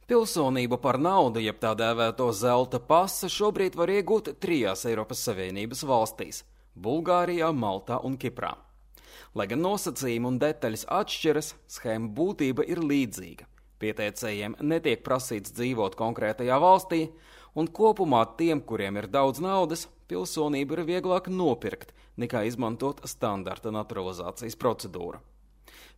Pilsonību par naudu, jeb tā dēvēto zelta pasa, šobrīd var iegūt 3 Eiropas Savienības valstīs – Bulgārijā, Maltā un Kiprā. Lai gan nosacījumi un detaļas atšķiras, shēma būtība ir līdzīga. Pieteicējiem netiek prasīts dzīvot konkrētajā valstī, un kopumā tiem, kuriem ir daudz naudas, pilsonību ir vieglāk nopirkt, nekā izmantot standarta naturalizācijas procedūru.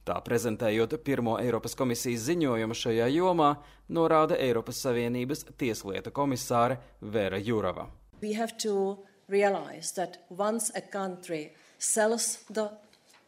Tā prezentējot pirmo Eiropas komisijas ziņojumu šajā jomā, norāda Eiropas Savienības tieslietu komisāre Vera Jourova. We have to realize that once a country sells the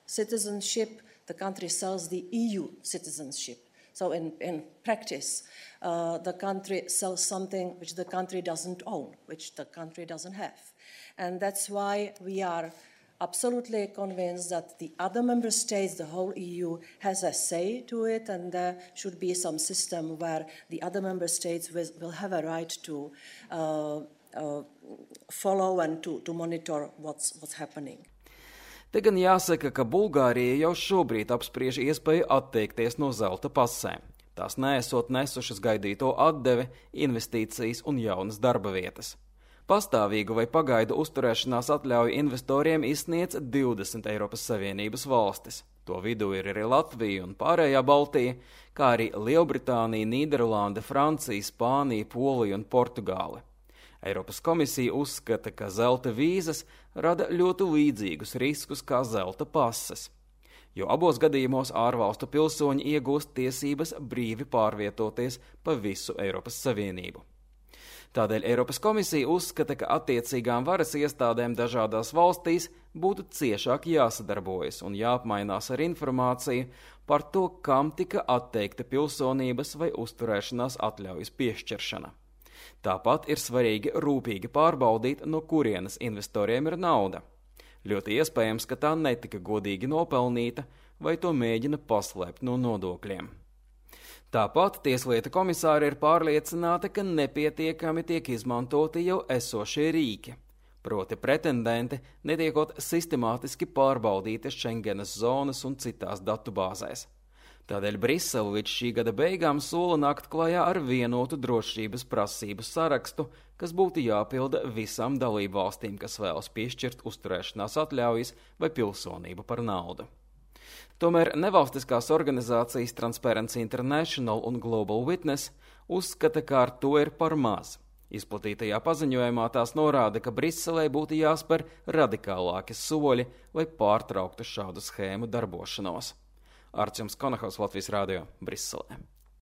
citizenship, the country sells the EU citizenship. So in practice, the country sells something which the country doesn't own, which the country doesn't have. And that's why we are absolutely convinced that the other member states, the whole EU, has a say to it, and there should be some system where the other member states will have a right to follow and to monitor what's happening. Te gan jāsaka, ka Bulgārija jau šobrīd apspriež iespēju atteikties no zelta pasēm. Tās neesot nesušas gaidīto atdevi, investīcijas un jaunas darba vietas. Pastāvīgu vai pagaidu uzturēšanās atļauju investoriem izsniedz 20 Eiropas Savienības valstis. To vidū ir arī Latvija un pārējā Baltija, kā arī Lielbritānija, Nīderlande, Francija, Spānija, Polija un Portugāle. Eiropas komisija uzskata, ka zelta vīzas rada ļoti līdzīgus riskus kā zelta pases, jo abos gadījumos ārvalstu pilsoņi iegūst tiesības brīvi pārvietoties pa visu Eiropas Savienību. Tādēļ Eiropas komisija uzskata, ka attiecīgām varas iestādēm dažādās valstīs būtu ciešāk jāsadarbojas un jāapmainās ar informāciju par to, kam tika atteikta pilsonības vai uzturēšanās atļaujas piešķiršana. Tāpat ir svarīgi rūpīgi pārbaudīt, no kurienes investoriem ir nauda. Ļoti iespējams, ka tā netika godīgi nopelnīta vai to mēģina paslēpt no nodokļiem. Tāpat tieslietu komisāri ir pārliecināti, ka nepietiekami tiek izmantoti jau esošie rīki, proti pretendenti netiekot sistemātiski pārbaudīti Schengenas zonas un citās datubāzēs. Tādēļ Brisele līdz šī gada beigām sola nākt klajā ar vienotu drošības prasību sarakstu, kas būtu jāpilda visām dalību valstīm, kas vēlas piešķirt uzturēšanās atļaujas vai pilsonību par naudu. Tomēr nevalstiskās organizācijas Transparency International un Global Witness uzskata, ka ar to ir par maz. Izplatītajā paziņojumā tās norāda, ka Briselē būtu jāspēr radikālāki soļi, lai pārtrauktu šādu shēmu darbošanos. Arčuns Konahaus, Latvijas Rādio, Briselē.